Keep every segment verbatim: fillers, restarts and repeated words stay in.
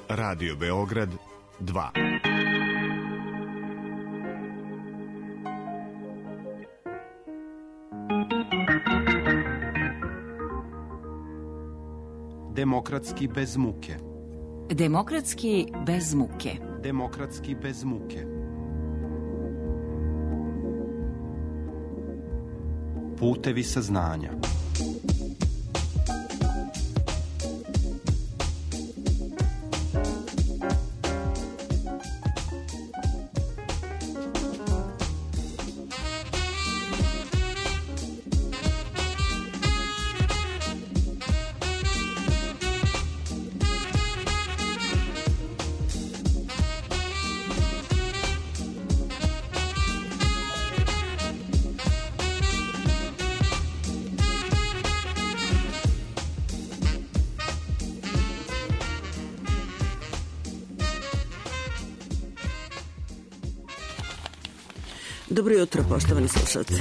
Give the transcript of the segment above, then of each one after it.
Radio Beograd dva. Demokratski bez muke. Demokratski bez muke. Demokratski bez muke. Putevi saznanja. Dobro jutro, poštovani slušalci.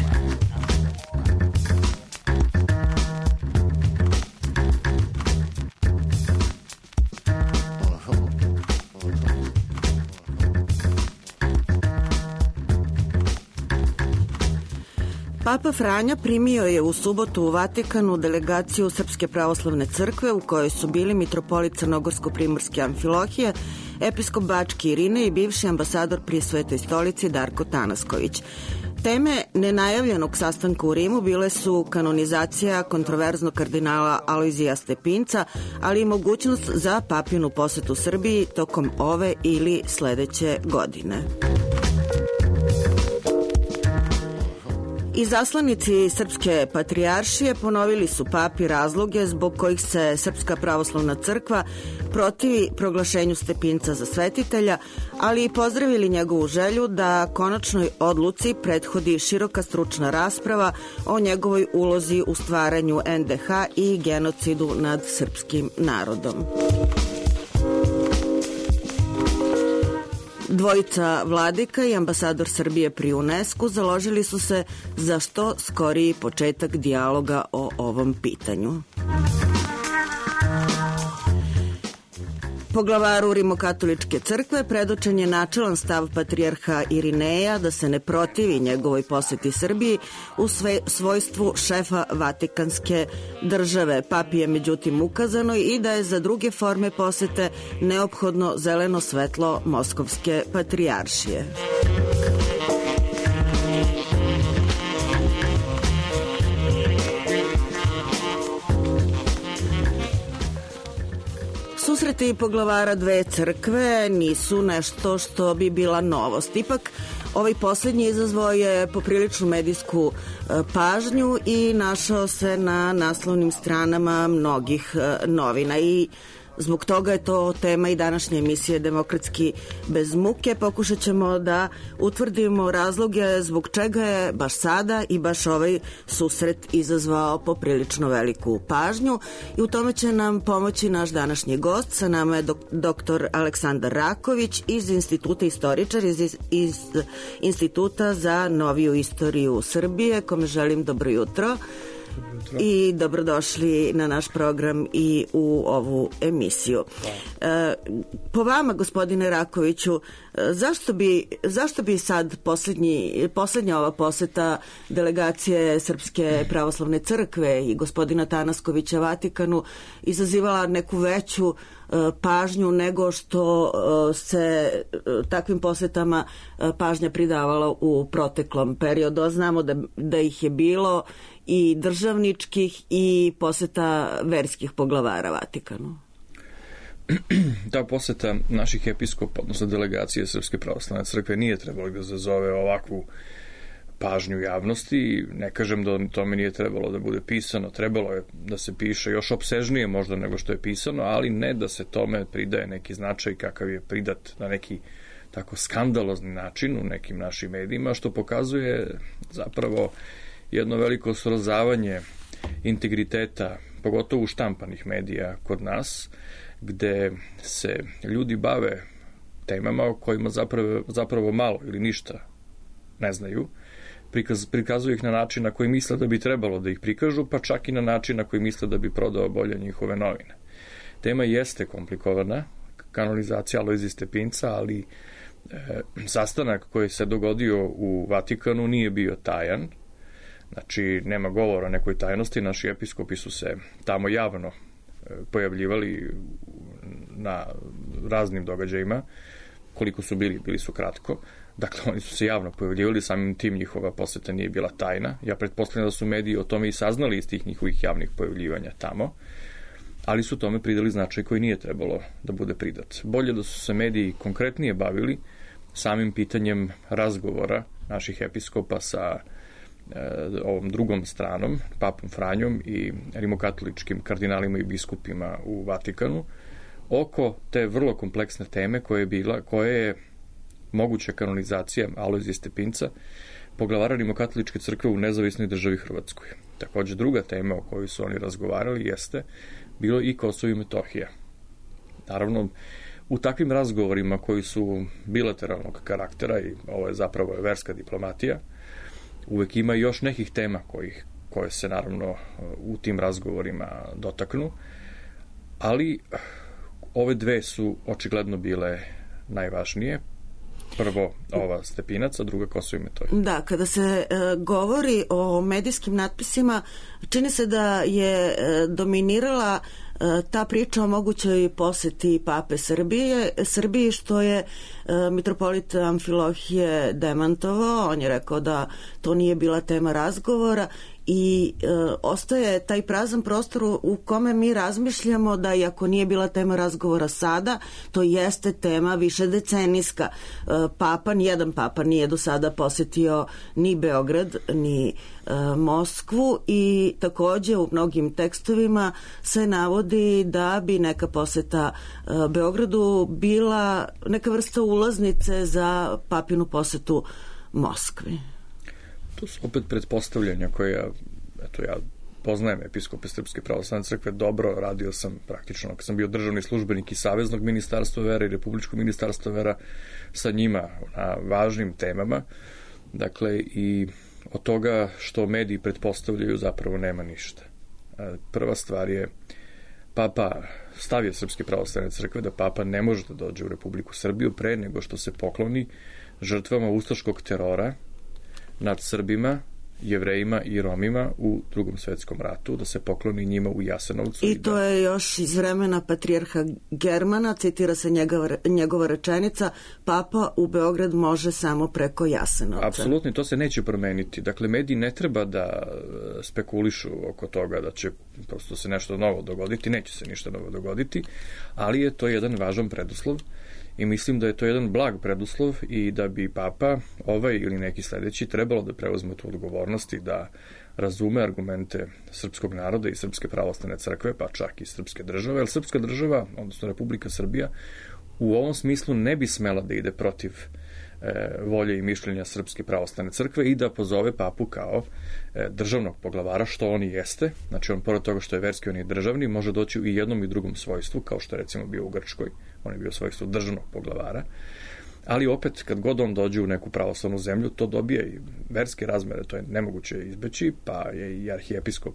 Papa Franja primio je u subotu u Vatikanu delegaciju Srpske pravoslavne crkve u kojoj su bili mitropolit Crnogorsko-primorske Amfilohije, episkop Bački Irine i bivši ambasador pri Svetoj stolici Darko Tanasković. Teme nenajavljenog sastanka u Rimu bile su kanonizacija kontroverznog kardinala Alojzija Stepinca, ali i mogućnost za papinu posetu Srbiji tokom ove ili sledeće godine. Izaslanici Srpske patrijaršije ponovili su papi razloge zbog kojih se Srpska pravoslavna crkva protivi proglašenju Stepinca za svetitelja, ali i pozdravili njegovu želju da konačnoj odluci prethodi široka stručna rasprava o njegovoj ulozi u stvaranju en de ha i genocidu nad srpskim narodom. Dvojica vladika i ambasador Srbije pri UNESCO založili su se za što skoriji početak dijaloga o ovom pitanju. Poglavaru Rimokatoličke crkve predočen je načelan stav patrijarha Irineja da se ne protivi njegovoj poseti Srbiji u sve, svojstvu šefa Vatikanske države. Papi je međutim ukazano i da je za druge forme posete neophodno zeleno svetlo Moskovske patrijaršije. Susreti poglavara dve crkve nisu nešto što bi bila novost. Ipak, ovaj posljednji izazvao je popriličnu medijsku pažnju i našao se na naslovnim stranama mnogih novina i zbog toga je to tema i današnje emisije Demokratski bez muke. Pokušat ćemo da utvrdimo razloge zbog čega je baš sada i baš ovaj susret izazvao poprilično veliku pažnju i u tome će nam pomoći naš današnji gost. Sa nama je dok- doktor Aleksandar Raković iz Instituta istoričar, iz, iz Instituta za noviju istoriju Srbije, kome želim dobro jutro. I dobrodošli na naš program i u ovu emisiju. E, po vama, gospodine Rakoviću, zašto bi, zašto bi sad posljednji, posljednja ova poseta delegacije Srpske pravoslavne crkve i gospodina Tanaskovića Vatikanu izazivala neku veću pažnju nego što se takvim posetama pažnja pridavala u proteklom periodu? Znamo da, da ih je bilo i državničkih i poseta verskih poglavara Vatikanu. Ta poseta naših episkopa, odnosno delegacije Srpske pravoslavne crkve, nije trebalo da zazove ovakvu pažnju javnosti. Ne kažem da tome nije trebalo da bude pisano, trebalo je da se piše još opsežnije možda nego što je pisano, ali ne da se tome pridaje neki značaj kakav je pridat na neki tako skandalozni način u nekim našim medijima, što pokazuje zapravo jedno veliko srozavanje integriteta, pogotovo štampanih medija kod nas, gde se ljudi bave temama o kojima zapravo, zapravo malo ili ništa ne znaju, prikaz, prikazuju ih na način na koji misle da bi trebalo da ih prikažu, pa čak i na način na koji misle da bi prodao bolje njihove novine. Tema jeste komplikovana, kanonizacija Alojzija Stepinca, ali e, sastanak koji se dogodio u Vatikanu nije bio tajan. Znači, nema govora o nekoj tajnosti. Naši episkopi su se tamo javno pojavljivali na raznim događajima. Koliko su bili, bili su kratko. Dakle, oni su se javno pojavljivali, samim tim njihova poseta nije bila tajna. Ja pretpostavljam da su mediji o tome i saznali iz tih njihovih javnih pojavljivanja tamo, ali su tome pridali značaj koji nije trebalo da bude pridat. Bolje da su se mediji konkretnije bavili samim pitanjem razgovora naših episkopa sa ovom drugom stranom, papom Franjom i rimokatoličkim kardinalima i biskupima u Vatikanu, oko te vrlo kompleksne teme koja je bila, koja je moguća kanonizacija Alojzija Stepinca, poglavara rimokatoličke crkve u nezavisnoj državi Hrvatskoj. Takođe, druga tema o kojoj su oni razgovarali jeste bilo i Kosovo i Metohija. Naravno, u takvim razgovorima koji su bilateralnog karaktera, i ovo je zapravo verska diplomatija, uvek ima još nekih tema kojih, koje se naravno u tim razgovorima dotaknu, ali ove dve su očigledno bile najvažnije. Prvo ova Stepinac, a druga Kosovo i Metohija. Da, kada se e, govori o medijskim natpisima, čini se da je e, dominirala e, ta priča o mogućoj poseti pape Srbije, Srbiji, što je e, mitropolit Amfilohije demantovao. On je rekao da to nije bila tema razgovora i e, ostaje taj prazan prostor u kome mi razmišljamo da iako nije bila tema razgovora sada, to jeste tema više decenijska. E, papa, nijedan papa nije do sada posetio ni Beograd, ni e, Moskvu, i takođe u mnogim tekstovima se navodi da bi neka poseta e, Beogradu bila neka vrsta ulaznice za papinu posetu Moskvi. To su opet pretpostavljanja koje ja, eto ja poznajem episkope Srpske pravoslavne crkve dobro, radio sam praktično, kad sam bio državni službenik i Saveznog ministarstva vera i Republičkog ministarstva vera sa njima na važnim temama. Dakle, i od toga što mediji pretpostavljaju zapravo nema ništa. Prva stvar je, papa stavio Srpske pravoslavne crkve da papa ne može da dođe u Republiku Srbiju pre nego što se pokloni žrtvama ustaškog terora nad Srbima, Jevrejima i Romima u Drugom svetskom ratu, da se pokloni njima u Jasenovcu. I, i to da... je još iz vremena patrijarha Germana, citira se njegova, njegova rečenica, papa u Beograd može samo preko Jasenovca. Apsolutno, to se neće promeniti. Dakle, mediji ne treba da spekulišu oko toga da će prosto se nešto novo dogoditi, neće se ništa novo dogoditi, ali je to jedan važan preduslov. I mislim da je to jedan blag preduslov i da bi papa, ovaj ili neki sledeći, trebalo da preuzme tu odgovornost i da razume argumente srpskog naroda i Srpske pravoslavne crkve, pa čak i srpske države, jer srpska država, odnosno Republika Srbija, u ovom smislu ne bi smela da ide protiv e, volje i mišljenja Srpske pravoslavne crkve i da pozove papu kao e, državnog poglavara, što on i jeste. Znači, on pored toga što je verski, on je državni, može doći u jednom i drugom svojstvu, kao što je recimo bio u Grčkoj, on je bio svojstvo državnog poglavara, ali opet kad god on dođe u neku pravoslavnu zemlju, to dobije i verske razmere, to je nemoguće izbeći, pa je i arhijepiskop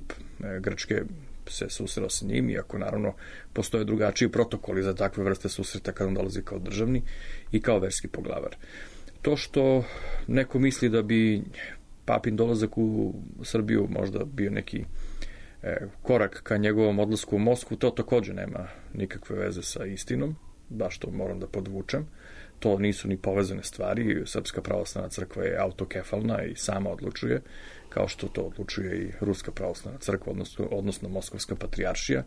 Grčke se susreo sa njim, iako naravno postoje drugačiji protokoli za takve vrste susreta kad on dolazi kao državni i kao verski poglavar. To što neko misli da bi papin dolazak u Srbiju možda bio neki korak ka njegovom odlasku u Moskvu, to takođe nema nikakve veze sa istinom, baš to moram da podvučem. To nisu ni povezane stvari. Srpska pravoslavna crkva je autokefalna i sama odlučuje, kao što to odlučuje i Ruska pravoslavna crkva, odnosno, odnosno Moskovska patrijaršija.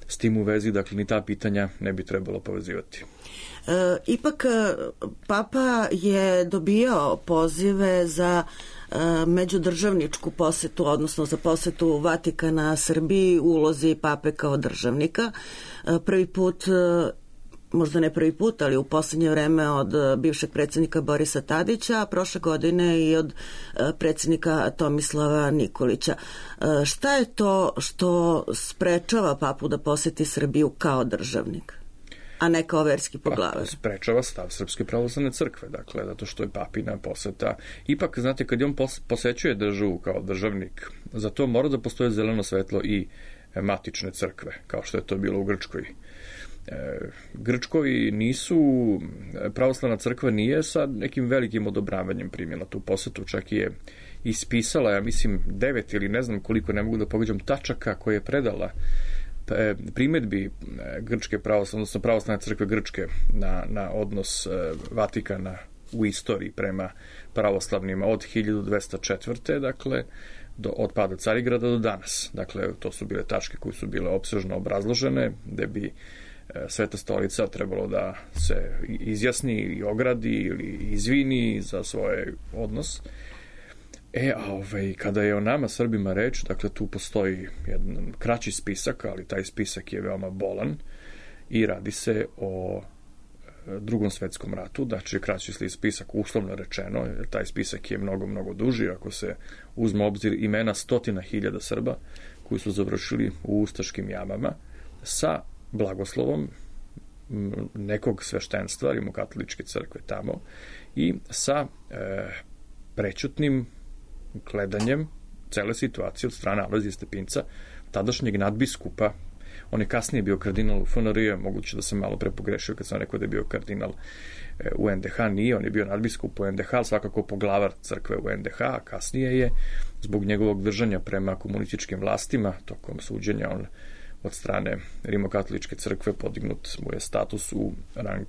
S tim u vezi, dakle, ni ta pitanja ne bi trebalo povezivati. E, ipak, papa je dobijao pozive za e, međudržavničku posetu, odnosno za posetu Vatikana Srbiji u ulozi pape kao državnika. E, prvi put, možda ne prvi put, ali u poslednje vreme od bivšeg predsjednika Borisa Tadića, a prošle godine i od predsjednika Tomislava Nikolića. Šta je to što sprečava papu da poseti Srbiju kao državnik, a ne kao verski poglavar? Pa, sprečava stav Srpske pravoslavne crkve, dakle, zato što je papina poseta. Ipak, znate, kad on posećuje državu kao državnik, za to mora da postoje zeleno svetlo i matične crkve, kao što je to bilo u Grčkoj. Grčkovi nisu, pravoslavna crkva nije sa nekim velikim odobravanjem primjela tu posetu, čak je ispisala, ja mislim, devet ili ne znam koliko, ne mogu da pogađam, tačaka koje je predala primedbi Grčke pravoslavne, odnosno pravoslavne crkve Grčke na, na odnos Vatikana u istoriji prema pravoslavnima od hiljadu dvesta četvrte. dakle, do, od pada Carigrada do danas. Dakle, to su bile tačke koje su bile opsežno obrazložene, gde bi Sveta stolica trebalo da se izjasni i ogradi ili izvini za svoj odnos. E, a ovaj, kada je o nama Srbima reč, dakle tu postoji jedan kraći spisak, ali taj spisak je veoma bolan i radi se o Drugom svetskom ratu, znači kraći spisak uslovno rečeno, jer taj spisak je mnogo, mnogo duži, ako se uzme obzir imena stotina hiljada Srba koji su završili u ustaškim jamama sa blagoslovom nekog sveštenstva, rimokatoličke crkve tamo, i sa e, prećutnim gledanjem cele situacije od strane Alojzija Stepinca, tadašnjeg nadbiskupa. On je kasnije bio kardinal u F N R J, moguće da sam malo prepogrešio kad sam rekao da je bio kardinal u N D H, nije, on je bio nadbiskup u N D H, ali svakako poglavar crkve u N D H, a kasnije je, zbog njegovog držanja prema komunističkim vlastima, tokom suđenja, on od strane rimokatoličke crkve podignut mu je status u rang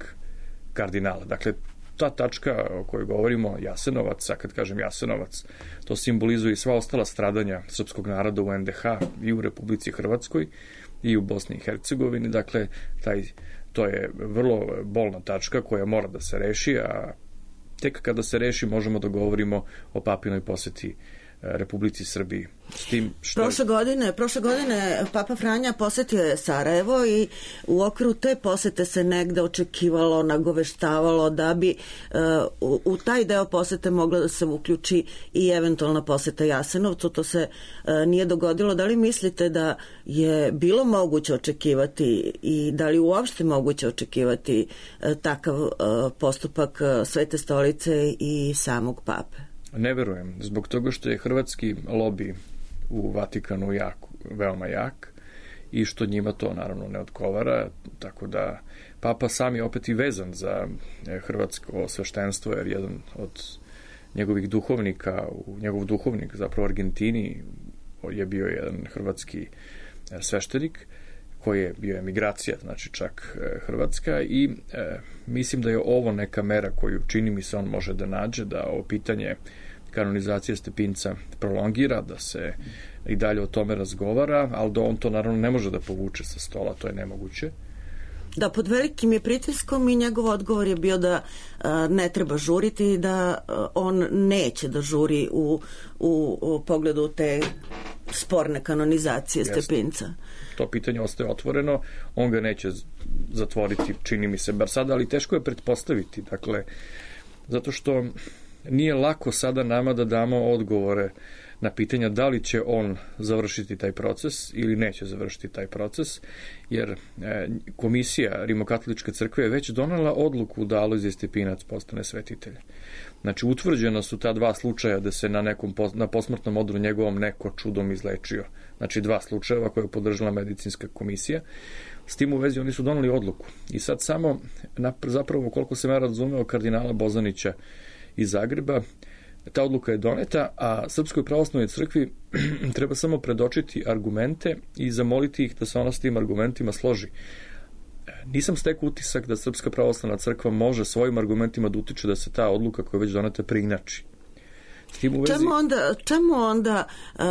kardinala. Dakle, ta tačka o kojoj govorimo, Jasenovac, a kad kažem Jasenovac, to simbolizuje i sva ostala stradanja srpskog naroda u N D H i u Republici Hrvatskoj i u Bosni i Hercegovini. Dakle, taj, to je vrlo bolna tačka koja mora da se reši, a tek kada se reši možemo da govorimo o papinoj poseti Republici Srbiji. S tim što... Prošle godine, prošle godine Papa Franja posetio je Sarajevo i u okviru te posete se negde očekivalo, nagoveštavalo da bi uh, u, u taj deo posete mogla da se uključi i eventualna poseta Jasenovcu. To se uh, nije dogodilo. Da li mislite da je bilo moguće očekivati i da li uopšte moguće očekivati uh, takav uh, postupak uh, Svete stolice i samog Pape? Ne verujem, zbog toga što je hrvatski lobi u Vatikanu jak, veoma jak i što njima to naravno ne odgovara, tako da Papa sam je opet i vezan za hrvatsko sveštenstvo, jer jedan od njegovih duhovnika, njegov duhovnik zapravo u Argentini je bio jedan hrvatski sveštenik koji je bio emigracija, znači čak hrvatska, i e, mislim da je ovo neka mera koju čini mi se on može da nađe, da ovo pitanje kanonizacije Stepinca prolongira, da se i dalje o tome razgovara, ali da on to naravno ne može da povuče sa stola, to je nemoguće. Da, pod velikim je pritiskom i njegov odgovor je bio da a, ne treba žuriti i da a, on neće da žuri u, u, u pogledu te sporne kanonizacije Jeste. Stepinca. To pitanje ostaje otvoreno, on ga neće zatvoriti, čini mi se, bar sada, ali teško je pretpostaviti, dakle, zato što nije lako sada nama da damo odgovore na pitanja da li će on završiti taj proces ili neće završiti taj proces, jer e, komisija Rimokatoličke crkve je već donela odluku da Alojzije Stepinac postane svetitelj. Znači, utvrđena su ta dva slučaja da se na nekom na posmrtnom odru njegovom neko čudom izlečio. Znači, dva slučajeva koje je podržala medicinska komisija. S tim u vezi oni su doneli odluku. I sad samo, zapravo, koliko sam ja razumeo kardinala Bozanića iz Zagreba, ta odluka je doneta, a Srpskoj pravoslavnoj crkvi treba samo predočiti argumente i zamoliti ih da se ona s tim argumentima složi. Nisam stekao utisak da Srpska pravoslavna crkva može svojim argumentima da utiče da se ta odluka koja je već doneta preinači. Vezi... Čemu onda, čemu onda uh,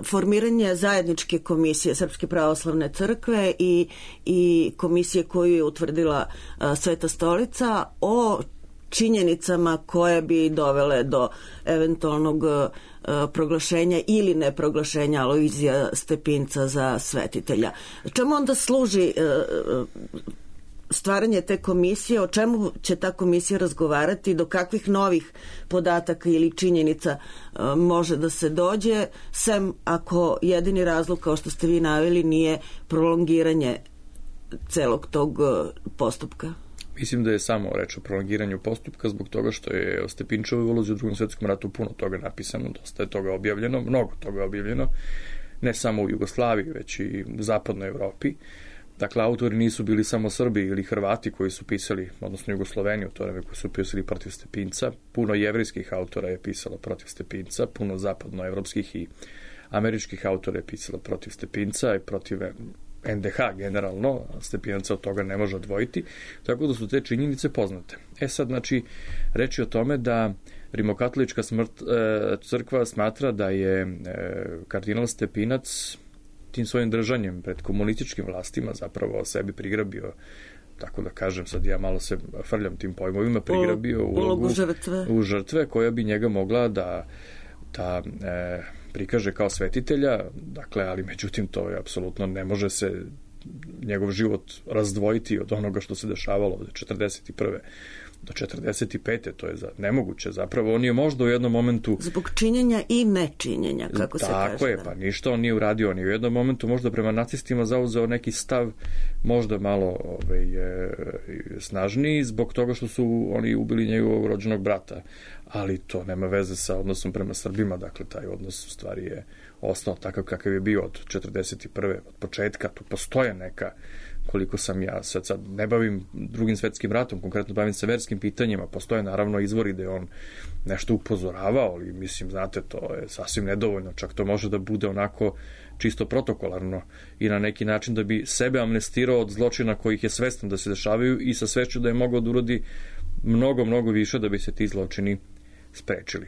formiranje zajedničke komisije Srpske pravoslavne crkve i, i komisije koju je utvrdila uh, Sveta stolica o činjenicama koje bi dovele do eventualnog uh, proglašenja ili neproglašenja Alojzija Stepinca za svetitelja? Čemu onda služi uh, stvaranje te komisije, o čemu će ta komisija razgovarati, do kakvih novih podataka ili činjenica uh, može da se dođe, sem ako jedini razlog, kao što ste vi naveli, nije prolongiranje celog tog uh, postupka? Mislim da je samo reč o prolongiranju postupka zbog toga što je o Stepinčevoj ulozi u Drugom svetskom ratu puno toga napisano, dosta je toga objavljeno, mnogo toga objavljeno, ne samo u Jugoslaviji, već i u zapadnoj Evropi. Dakle, autori nisu bili samo Srbi ili Hrvati koji su pisali, odnosno Jugosloveni u to vreme koji su pisali protiv Stepinca. Puno jevrejskih autora je pisalo protiv Stepinca, puno zapadnoevropskih i američkih autora je pisalo protiv Stepinca i protiv en de ha generalno, Stepinaca od toga ne može odvojiti, tako da su te činjenice poznate. E sad, znači, reč je o tome da Rimokatolička smrt, e, crkva smatra da je e, kardinal Stepinac tim svojim držanjem pred komunističkim vlastima zapravo sebi prigrabio, tako da kažem, sad ja malo se frljam tim pojmovima, prigrabio ulogu žrtve. u žrtve koja bi njega mogla da, da e, prikaže kao svetitelja, dakle, ali međutim to je apsolutno ne može se njegov život razdvojiti od onoga što se dešavalo od četrdeset prve do četrdeset pete to je za, nemoguće. Zapravo on je možda u jednom momentu... Zbog činjenja i nečinjenja, kako se kaže. Tako je, pa ništa on nije uradio. On je u jednom momentu možda prema nacistima zauzeo neki stav možda malo ovaj, e, snažniji zbog toga što su oni ubili njegovog rođenog brata. Ali to nema veze sa odnosom prema Srbima. Dakle, taj odnos u stvari je ostao takav kakav je bio od četrdeset prve od početka. Tu postoje neka, koliko sam ja sad, sad ne bavim drugim svetskim ratom, konkretno bavim se verskim pitanjima, postoje naravno izvori da je on nešto upozoravao, ali mislim, znate, to je sasvim nedovoljno, čak to može da bude onako čisto protokolarno i na neki način da bi sebe amnestirao od zločina kojih je svestan da se dešavaju i sa svešću da je mogao da uradi mnogo, mnogo više da bi se ti zločini sprečili.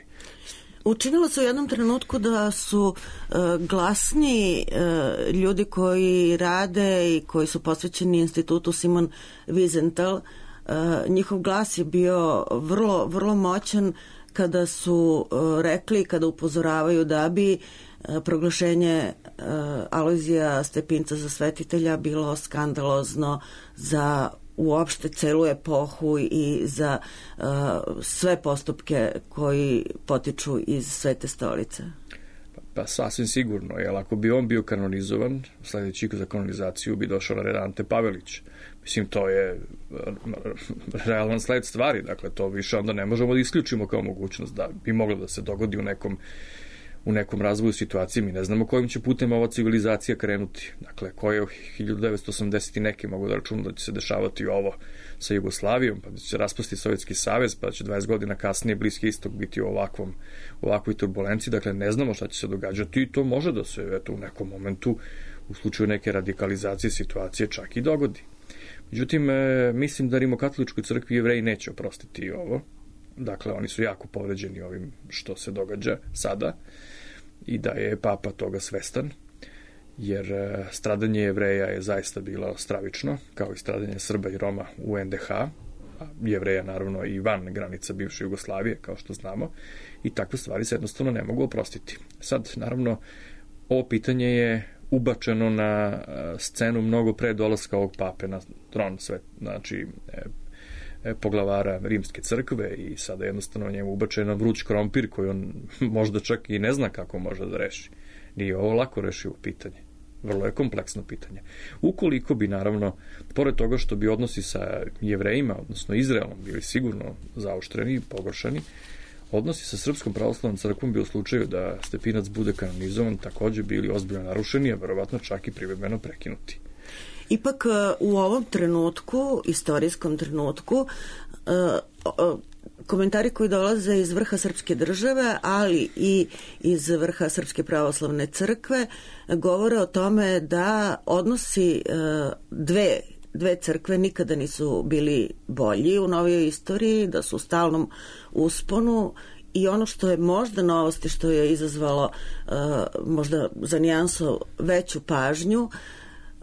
Učinilo se u jednom trenutku da su uh, glasni uh, ljudi koji rade i koji su posvećeni institutu Simon Wiesenthal. Uh, njihov glas je bio vrlo, vrlo moćan kada su uh, rekli, kada upozoravaju da bi uh, proglašenje uh, Alojzija Stepinca za svetitelja bilo skandalozno za uopšte celu epohu i za uh, sve postupke koji potiču iz Svete stolice? Pa, pa sasvim sigurno, jer ako bi on bio kanonizovan, sledeći za kanonizaciju bi došao na red Ante Pavelić. Mislim, to je realan sled stvari, dakle, to više onda ne možemo da isključimo kao mogućnost da bi moglo da se dogodi u nekom u nekom razvoju situacije. Mi ne znamo kojim će putem ova civilizacija krenuti. Dakle, koje u hiljadu devetsto osamdeset neke mogu da računu da će se dešavati ovo sa Jugoslavijom, pa da će se raspasti Sovjetski savez, pa da će dvadeset godina kasnije Bliski istok biti u ovakvom, u ovakvoj turbulenciji. Dakle, ne znamo šta će se događati i to može da se eto, u nekom momentu u slučaju neke radikalizacije situacije čak i dogodi. Međutim, e, mislim da Rimokatoličkoj crkvi Jevreji neće oprostiti ovo. Dakle, oni su jako povređeni ovim što se događa sada i da je papa toga svestan, jer stradanje Jevreja je zaista bilo stravično, kao i stradanje Srba i Roma u en de ha, a Jevreja naravno i van granica bivše Jugoslavije, kao što znamo, i takve stvari se jednostavno ne mogu oprostiti. Sad, naravno, ovo pitanje je ubačeno na scenu mnogo pre dolaska ovog pape na tron svet, znači poglavara Rimske crkve i sada jednostavno njemu ubačeno vruć krompir koji on možda čak i ne zna kako može da reši. Nije ovo lako rešivo pitanje. Vrlo je kompleksno pitanje. Ukoliko bi naravno, pored toga što bi odnosi sa Jevrejima, odnosno Izraelom, bili sigurno zaoštreni i pogoršani, odnosi sa Srpskom pravoslavnom crkvom bi u slučaju da Stepinac bude kanonizovan takođe bili ozbiljno narušeni, a verovatno čak i privremeno prekinuti. Ipak u ovom trenutku, istorijskom trenutku, komentari koji dolaze iz vrha srpske države, ali i iz vrha Srpske pravoslavne crkve, govore o tome da odnosi dve, dve crkve nikada nisu bili bolji u novijoj istoriji, da su u stalnom usponu. I ono što je možda novost i što je izazvalo možda za nijansu veću pažnju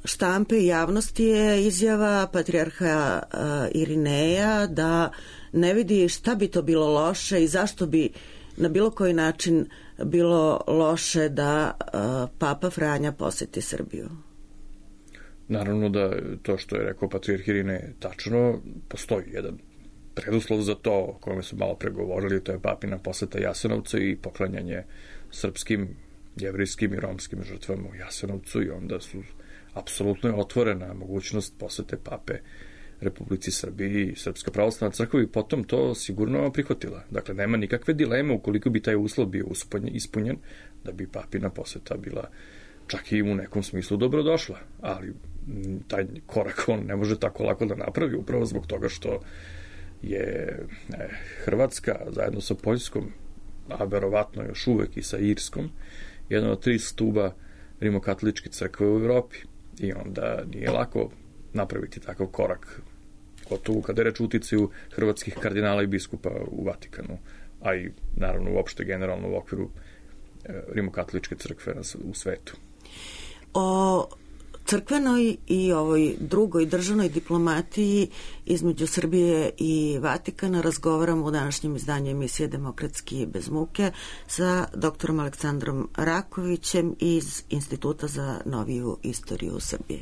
štampe i javnosti je izjava patrijarha uh, Irineja da ne vidi šta bi to bilo loše i zašto bi na bilo koji način bilo loše da uh, Papa Franja poseti Srbiju. Naravno da to što je rekao patrijarh Irinej je tačno, postoji jedan preduslov za to o kome su malo pregovorili, to je papina poseta Jasenovcu i poklanjanje srpskim, jevrijskim i romskim žrtvama u Jasenovcu i onda su apsolutno je otvorena mogućnost posete pape Republici Srbiji i Srpska pravoslavna crkva i potom to sigurno prihvatila. Dakle, nema nikakve dileme ukoliko bi taj uslov bio ispunjen, da bi papina poseta bila čak i u nekom smislu dobrodošla. Ali taj korak on ne može tako lako da napravi, upravo zbog toga što je e, Hrvatska zajedno sa Poljskom, a verovatno još uvek i sa Irskom, jedan od tri stuba rimokatoličke crkve u Evropi. I onda nije lako napraviti takav korak, gotovo kada je reč o uticaju hrvatskih kardinala i biskupa u Vatikanu, a i naravno uopšte generalno u okviru rimokatoličke crkve u svetu. O crkvenoj i ovoj drugoj državnoj diplomatiji između Srbije i Vatikana razgovaramo u današnjem izdanju emisije Demokratski bez muke sa doktorom Aleksandrom Rakovićem iz Instituta za noviju istoriju Srbije.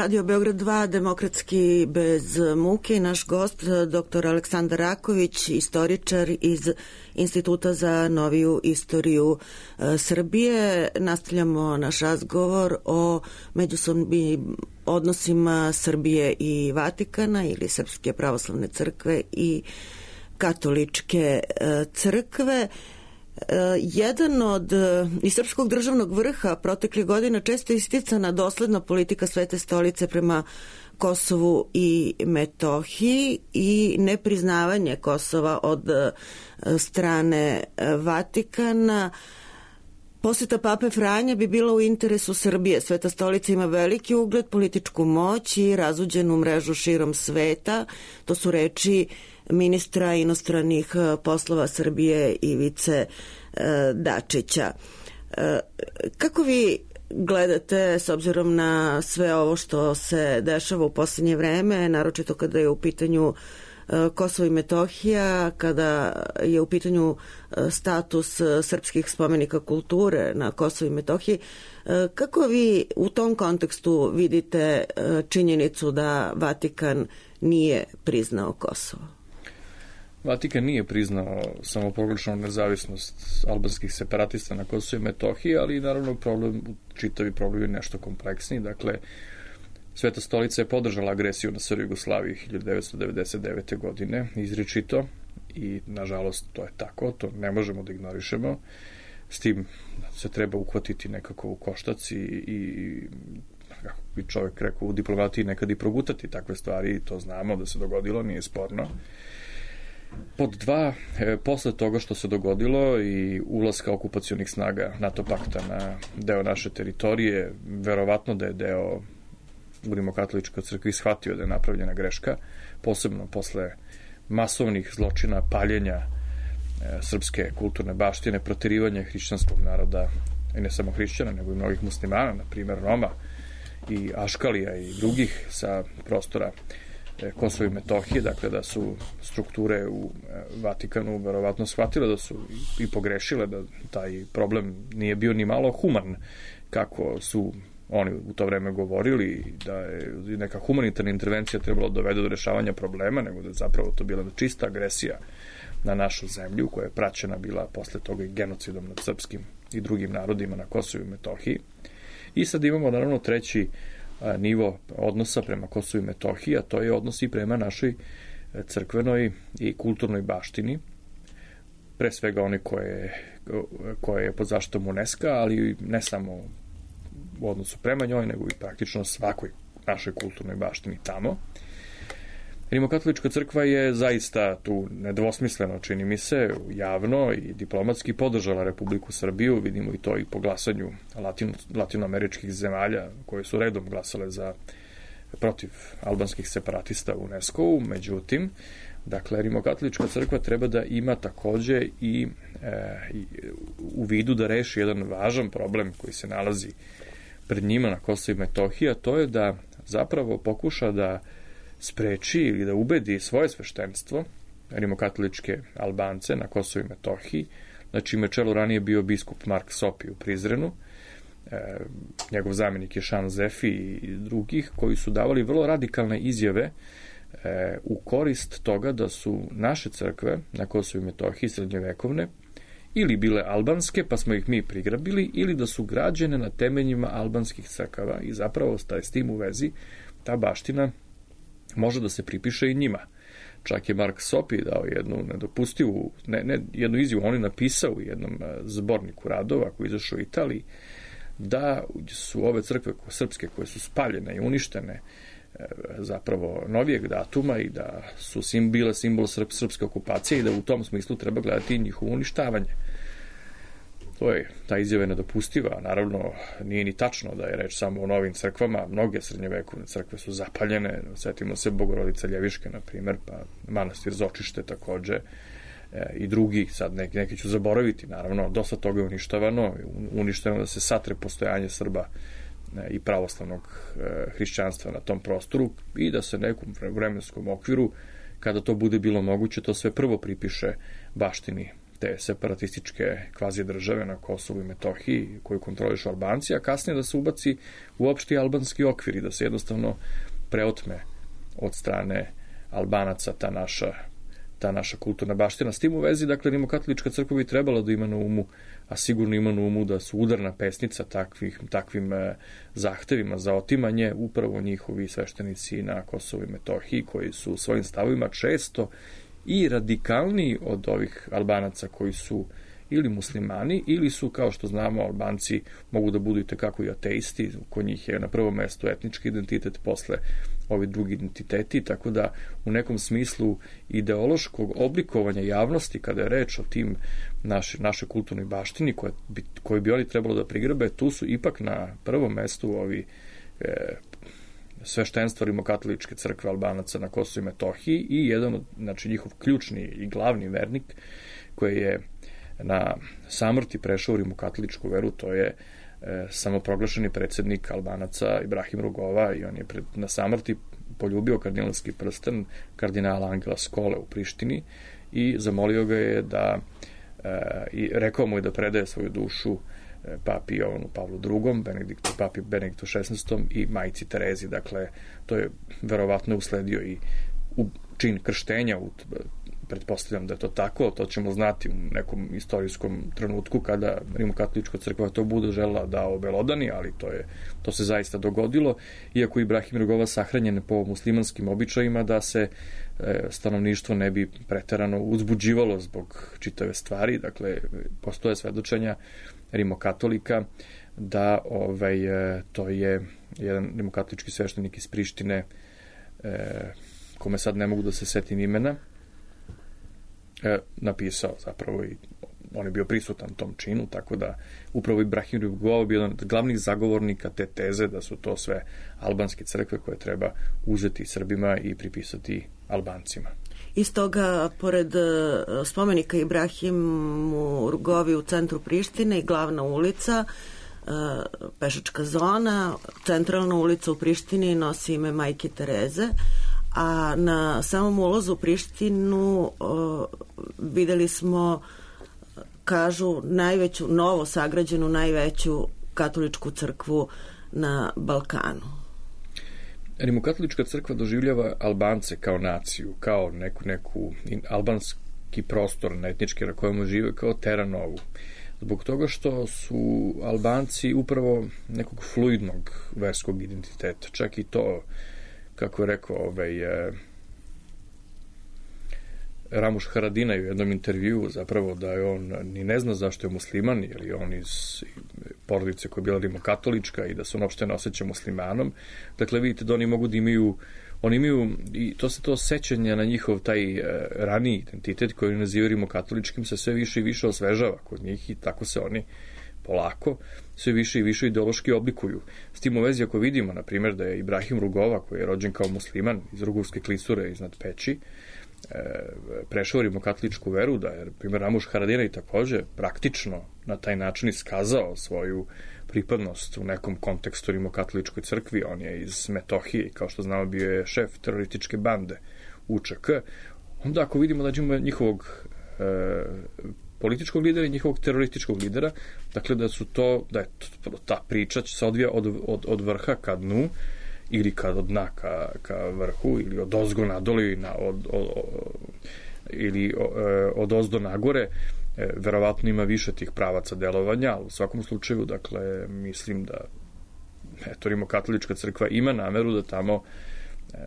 Radio Beograd dva, Demokratski bez muke i naš gost, doktor Aleksandar Raković, istoričar iz Instituta za noviju istoriju Srbije. Nastavljamo naš razgovor o međusobnim odnosima Srbije i Vatikana ili Srpske pravoslavne crkve i katoličke crkve. Jedan od iz srpskog državnog vrha proteklih godina često isticana dosledna politika Svete stolice prema Kosovu i Metohiji i nepriznavanje Kosova od strane Vatikana. Poseta Pape Franje bi bila u interesu Srbije. Sveta stolica ima veliki ugled, političku moć i razuđenu mrežu širom sveta. To su reči ministra inostranih poslova Srbije Ivice Dačića. Kako vi gledate, s obzirom na sve ovo što se dešava u posljednje vreme, naročito kada je u pitanju Kosovo i Metohija, kada je u pitanju status srpskih spomenika kulture na Kosovo i Metohiji, kako vi u tom kontekstu vidite činjenicu da Vatikan nije priznao Kosovo? Vatikan nije priznao samoproglašenu nezavisnost albanskih separatista na Kosovo i Metohiji, ali naravno problem, čitavi problem je nešto kompleksniji. Dakle, Sveta stolica je podržala agresiju na Srbiju i Jugoslaviju hiljadu devetsto devedeset devete. godine, izričito, i nažalost to je tako, to ne možemo da ignorišemo. S tim se treba uhvatiti nekako u koštac i, i kako bi čovjek rekao u diplomatiji, nekad i progutati takve stvari, to znamo da se dogodilo, nije sporno. Pod dva, e, posle toga što se dogodilo i ulaska okupacionih snaga NATO pakta na deo naše teritorije, verovatno da je deo u Rimokatoličkoj crkvi shvatio da je napravljena greška, posebno posle masovnih zločina, paljenja e, srpske kulturne baštine, proterivanja hrišćanskog naroda, i ne samo hrišćana, nego i mnogih muslimana, na primjer Roma i Aškalija i drugih sa prostora Kosovo i Metohije, dakle da su strukture u Vatikanu verovatno shvatile da su i pogrešile, da taj problem nije bio ni malo human, kako su oni u to vreme govorili, da je neka humanitarna intervencija trebala dovede do rešavanja problema, nego da je zapravo to bila čista agresija na našu zemlju, koja je praćena bila posle toga i genocidom nad srpskim i drugim narodima na Kosovu i Metohiji. I sad imamo naravno treći nivo odnosa prema Kosovu i Metohiji, a to je odnos i prema našoj crkvenoj i kulturnoj baštini, pre svega one koje, koje je pod zaštitom UNESCO, ali ne samo u odnosu prema njoj, nego i praktično svakoj našoj kulturnoj baštini tamo. Rimokatolička crkva je zaista tu nedvosmisleno, čini mi se, javno i diplomatski podržala Republiku Srbiju, vidimo i to i po glasanju latino, latinoameričkih zemalja koje su redom glasale za protiv albanskih separatista u UNESCO-u. Međutim, dakle, Rimokatolička crkva treba da ima takođe i, e, i u vidu da reši jedan važan problem koji se nalazi pred njima na Kosovu i Metohiji, a to je da zapravo pokuša da spreči ili da ubedi svoje sveštenstvo, rimokatoličke Albance na Kosovu i Metohiji, na čime čelu ranije bio biskup Mark Sopi u Prizrenu, e, njegov zamjenik je Šan Zefi i drugih, koji su davali vrlo radikalne izjave e, u korist toga da su naše crkve na Kosovu i Metohiji srednjovekovne ili bile albanske, pa smo ih mi prigrabili, ili da su građene na temeljima albanskih crkava i zapravo s tim u vezi ta baština može da se pripiše i njima. Čak je Mark Sopi dao jednu nedopustivu, ne, ne jednu izjavu, on je napisao u jednom zborniku radova koji je izašao u Italiji, da su ove crkve srpske koje su spaljene i uništene zapravo novijeg datuma i da su sim, bile simbol srp, srpske okupacije i da u tom smislu treba gledati i njihovo uništavanje. To je, ta izjava je nedopustiva, naravno nije ni tačno da je reč samo o novim crkvama, mnoge srednjevekovne crkve su zapaljene, sjetimo se Bogorodice Ljeviške, na primjer, pa manastir Zočište takođe, e, i drugi, sad neki, neki ću zaboraviti, naravno, dosta toga je uništavano, uništeno da se satre postojanje Srba e, i pravoslavnog e, hrišćanstva na tom prostoru i da se nekom vremenskom okviru, kada to bude bilo moguće, to sve prvo pripiše baštini te separatističke kvazi države na Kosovu i Metohiji koju kontrolišu Albanci, a kasnije da se ubaci u opšti albanski okvir i da se jednostavno preotme od strane Albanaca ta naša, ta naša kulturna baština. S tim u vezi, dakle, Rimokatolička crkva bi trebala da ima na umu, a sigurno ima na umu da su udarna pesnica takvih, takvim eh, zahtevima za otimanje upravo njihovi sveštenici na Kosovu i Metohiji, koji su svojim stavovima često i radikalniji od ovih Albanaca koji su ili muslimani, ili su, kao što znamo, Albanci mogu da budu i tekako i ateisti, kod njih je na prvom mestu etnički identitet, posle ovi drugi identiteti, tako da u nekom smislu ideološkog oblikovanja javnosti, kada je reč o tim naše, naše kulturnoj baštini koje bi, koje bi oni trebalo da prigrabe, tu su ipak na prvom mestu ovi e, sveštenstvo rimokatoličke crkve Albanaca na Kosovu i Metohiji i jedan od, znači, njihov ključni i glavni vernik koji je na samrti prešao u rimokatoličku veru, to je e, samoproglašeni predsjednik Albanaca Ibrahim Rugova, i on je pred, na samrti poljubio kardinalski prsten kardinala Angela Skole u Prištini i zamolio ga je da e, i rekao mu je da predaje svoju dušu e, papi Jovanu Pavlu drugom, Benediktu, papi Benediktu šesnaestom i majci Terezi. Dakle, to je verovatno usledio i u čin krštenja, u pretpostavljam da je to tako, to ćemo znati u nekom istorijskom trenutku kada Rimokatolička crkva to bude želela da obelodani, ali to je to se zaista dogodilo, iako Ibrahim Rugova sahranjen po muslimanskim običajima, da se e, stanovništvo ne bi preterano uzbuđivalo zbog čitave stvari. Dakle, postoje svedočenja rimokatolika da ovaj, e, to je jedan rimokatolički sveštenik iz Prištine, e, kome sad ne mogu da se setim imena, E, napisao zapravo, i on je bio prisutan tom činu, tako da upravo Ibrahim Rugova bio jedan od glavnih zagovornika te teze da su to sve albanske crkve koje treba uzeti Srbima i pripisati Albancima. Iz toga, pored spomenika Ibrahimu Rugovi u centru Prištine i glavna ulica, pešačka zona, centralna ulica u Prištini nosi ime Majke Tereze, a na samom ulazu u Prištinu o, videli smo, kažu, najveću, novo sagrađenu, najveću katoličku crkvu na Balkanu. Rimokatolička crkva doživljava Albance kao naciju, kao neku, neku albanski prostor na etnički na kojem žive, kao terra novu. Zbog toga što su Albanci upravo nekog fluidnog verskog identiteta, čak i to, kako je rekao ovaj, eh, Ramuš Haradinaj u jednom intervjuu, zapravo da je on ni ne zna zašto je musliman, jer je on iz porodice koja je bila rimokatolička i da se on uopšte ne osjeća muslimanom. Dakle, vidite da oni mogu da imaju, oni imaju, i to se to sećanje na njihov taj eh, raniji identitet koji nazivaju rimokatoličkim se sve više i više osvežava kod njih i tako se oni polako sve više i više ideološki oblikuju. S tim u vezi, ako vidimo, na primjer, da je Ibrahim Rugova, koji je rođen kao musliman iz Rugurske klisure iznad Peći, e, prešao rimokatoličku veru, da je, na primjer, Ramuš Haradinaj takođe praktično na taj način iskazao svoju pripadnost u nekom kontekstu rimokatoličkoj crkvi. On je iz Metohije, kao što znamo, bio je šef terorističke bande U Č K. Onda, ako vidimo da ćemo njihovog e, političkog lidera i njihovog terorističkog lidera, dakle da su to, da je to, ta priča će se odvija od, od, od vrha ka dnu ili ka od dna ka, ka vrhu ili od ozgo nadole na, od, od, od, ili od ozdo nagore. E, verovatno ima više tih pravaca delovanja, ali u svakom slučaju, dakle, mislim da eto, Rimokatolička crkva ima nameru da tamo e,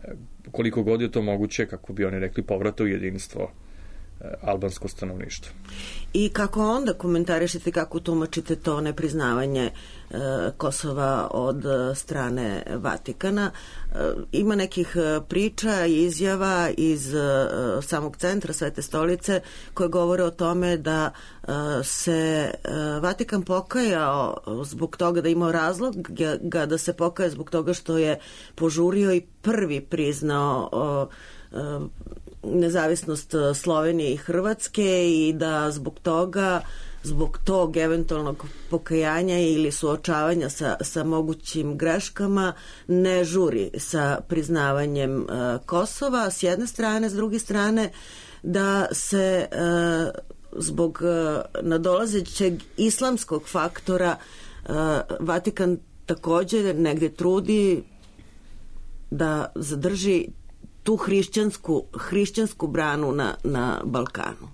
koliko god je to moguće, kako bi oni rekli, povrata u jedinstvo albansko stanovništvo. I kako onda komentarišete, kako tumačite to nepriznavanje e, Kosova od strane Vatikana? E, ima nekih priča i izjava iz e, samog centra Svete stolice koje govore o tome da e, se e, Vatikan pokajao zbog toga, da imao razlog ga da se pokaje zbog toga što je požurio i prvi priznao o, e, nezavisnost Slovenije i Hrvatske i da zbog toga, zbog tog eventualnog pokajanja ili suočavanja sa, sa mogućim greškama ne žuri sa priznavanjem uh, Kosova s jedne strane, s druge strane da se uh, zbog uh, nadolazećeg islamskog faktora uh, Vatikan također negde trudi da zadrži tu hrišćansku, hrišćansku branu na, na Balkanu.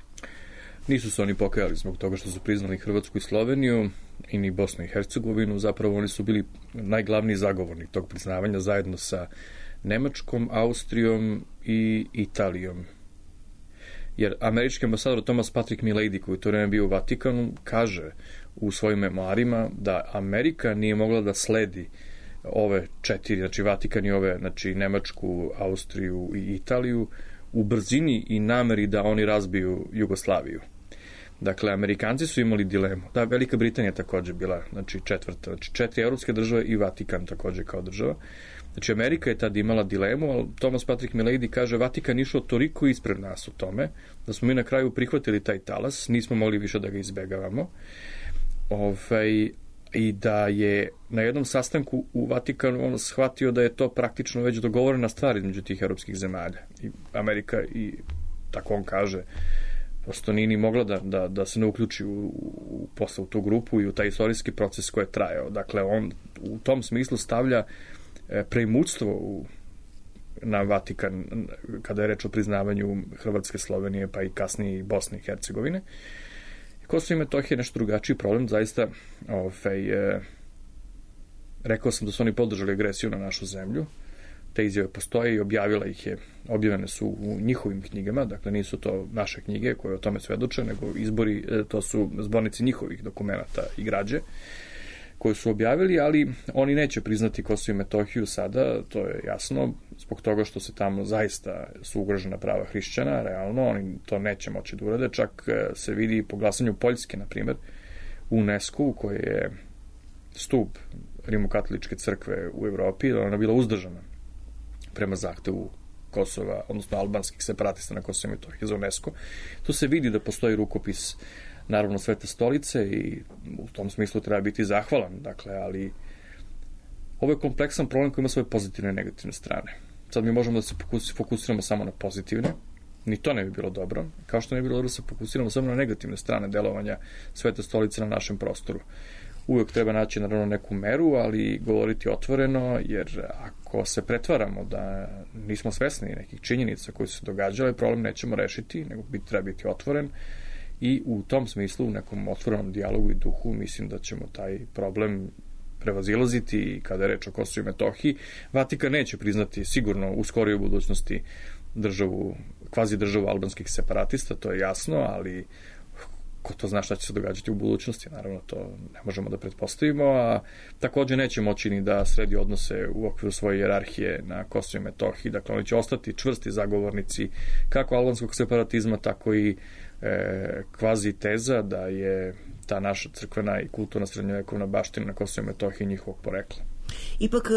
Nisu se oni pokajali zbog toga što su priznali Hrvatsku i Sloveniju i ni Bosnu i Hercegovinu. Zapravo oni su bili najglavniji zagovornik tog priznavanja zajedno sa Nemačkom, Austrijom i Italijom. Jer američki ambasador Thomas Patrick Milady, koji to vreme bio u Vatikanu, kaže u svojim memoarima da Amerika nije mogla da sledi ove četiri, znači Vatikan i ove, znači Nemačku, Austriju i Italiju, u brzini i nameri da oni razbiju Jugoslaviju. Dakle, Amerikanci su imali dilemu. Da, Velika Britanija takođe bila, znači četvrta, znači četiri evropske države i Vatikan takođe kao država. Znači, Amerika je tad imala dilemu, ali Thomas Patrick Milady kaže Vatikan išao toliko ispred nas u tome, da smo mi na kraju prihvatili taj talas, nismo mogli više da ga izbegavamo. Ovaj, i da je na jednom sastanku u Vatikanu on shvatio da je to praktično već dogovorena stvar između tih evropskih zemalja. I Amerika, i tako on kaže, prosto nije ni mogla da, da, da se ne uključi u, u, posle u tu grupu i u taj istorijski proces koji je trajao. Dakle, on u tom smislu stavlja preimućstvo u, na Vatikan kada je reč o priznavanju Hrvatske, Slovenije, pa i kasnije i Bosne i Hercegovine. Kosovo i Metohija je nešto drugačiji problem, zaista ovaj, e, rekao sam da su oni podržali agresiju na našu zemlju, te izjave postoje i objavila ih je, objavljene su u njihovim knjigama, dakle nisu to naše knjige koje o tome svedoče, nego izbori, e, to su zbornici njihovih dokumenata i građe koje su objavili, ali oni neće priznati Kosovo i Metohiju sada, to je jasno, zbog toga što se tamo zaista su ugrožena prava hrišćana, realno, oni to neće moći da urade, čak se vidi po glasanju Poljske, na primjer, u UNESCO, koji je stup rimokatoličke crkve u Evropi, ona je bila uzdržana prema zahtevu Kosova, odnosno albanskih separatista na Kosovo i Metohiji za UNESCO. Tu se vidi da postoji rukopis naravno Svete stolice i u tom smislu treba biti zahvalan, dakle, ali ovo je kompleksan problem koji ima svoje pozitivne i negativne strane. Sad mi možemo da se fokusiramo samo na pozitivne, ni to ne bi bilo dobro, kao što ne bi bilo dobro da se fokusiramo samo na negativne strane delovanja Svete stolice na našem prostoru. Uvijek treba naći naravno neku meru, ali govoriti otvoreno, jer ako se pretvaramo da nismo svesni nekih činjenica koje su se događale, problem nećemo rešiti, nego biti, treba biti otvoren. I u tom smislu, u nekom otvorenom dijalogu i duhu, mislim da ćemo taj problem prevazilaziti i kada je reč o Kosovu i Metohiji. Vatikan neće priznati sigurno u skorijoj budućnosti državu, kvazi državu albanskih separatista, to je jasno, ali ko to zna šta će se događati u budućnosti, naravno to ne možemo da pretpostavimo, a takođe neće moći ni da sredi odnose u okviru svoje hijerarhije na Kosovu i Metohiji, dakle oni će ostati čvrsti zagovornici kako albanskog separatizma, tako i e, kvazi teza da je ta naša crkvena i kulturna srednjovekovna baština na Kosovu i Metohiji njihovog porekla. Ipak,